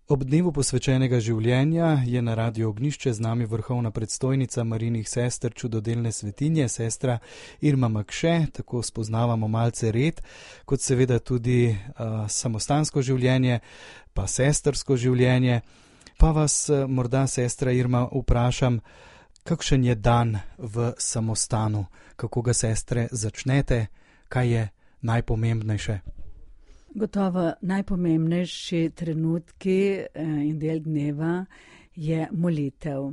Ob dnevu posvečenega življenja je na Radiu Ognjišče z nami vrhovna predstojnica Marijinih sester čudodelne svetinje, sestra Irma Makše. Tako spoznavamo malce red, kot seveda tudi samostansko življenje, pa sestrsko življenje. Pa vas morda, sestra Irma, vprašam, kakšen je dan v samostanu? Kako ga, sestre, začnete? Kaj je najpomembnejše? Gotovo najpomembnejši trenutki in del dneva je molitev.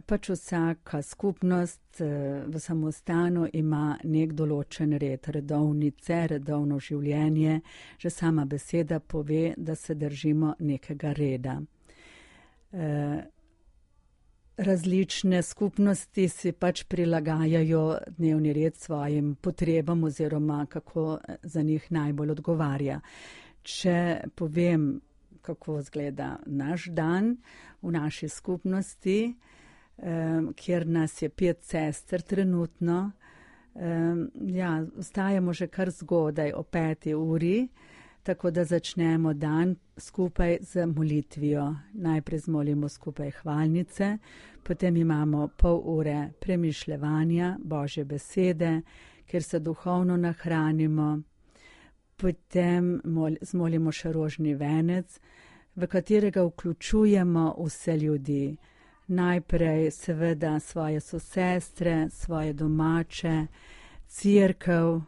Pač vsaka skupnost v samostanu ima nek določen red, redovnice, redovno življenje. Že sama beseda pove, da se držimo nekega reda. Različne skupnosti si pač prilagajajo dnevni red svojim potrebam oziroma kako za njih najbolj odgovarja. Če povem, kako izgleda naš dan v naši skupnosti, kjer nas je 5 sester trenutno, vstajamo že kar zgodaj o 5. uri, tako da začnemo dan skupaj z molitvijo. Najprej zmolimo skupaj hvalnice, potem imamo pol ure premišljevanja Božje besede, kjer se duhovno nahranimo. Potem zmolimo še rožni venec, v katerega vključujemo vse ljudi. Najprej seveda svoje sosestre, svoje domače, cerkev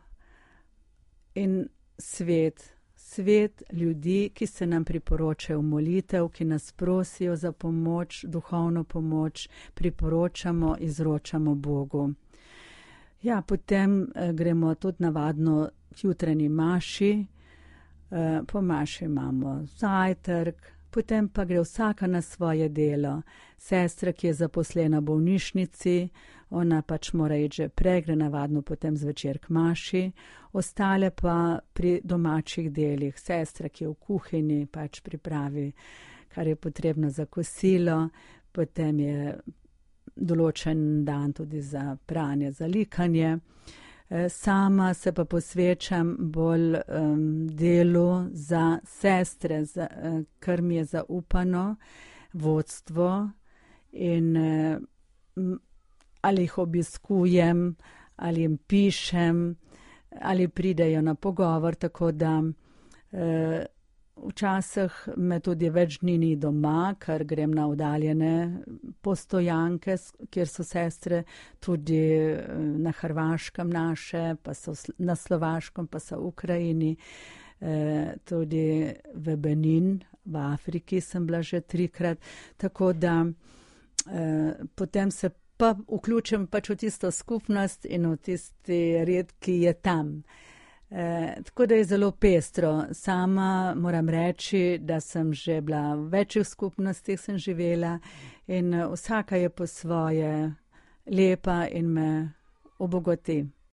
in svet. Svet ljudi, ki se nam priporočajo v molitev, ki nas prosijo za pomoč, duhovno pomoč, priporočamo, izročamo Bogu. Potem gremo tudi navadno k jutranji maši, po maši imamo zajtrk, potem pa gre vsaka na svoje delo. Sestra, ki je zaposlena v bolnišnici, ona pač mora iti že prej, gre navadno potem zvečer k maši, ostale pa pri domačih delih. Sestra, ki je v kuhinji, pač pripravi, kar je potrebno za kosilo, potem je določen dan tudi za pranje, za likanje. Sama se pa posvečam bolj delu za sestre, kar mi je zaupano, vodstvo, in ali jih obiskujem, ali jim pišem, ali pridejo na pogovor, tako da včasih me tudi več dni ni doma, ker grem na oddaljene postojanke, kjer so sestre, tudi na Hrvaškem naše, pa so na Slovaškem, pa so v Ukrajini, tudi v Benin, v Afriki sem bila že 3-krat, tako da potem se pa vključim pač v tisto skupnost in v tisti red, ki je tam. Tako da je zelo pestro. Sama moram reči, da sem že bila v večjih skupnostih sem živela in vsaka je po svoje lepa in me obogati.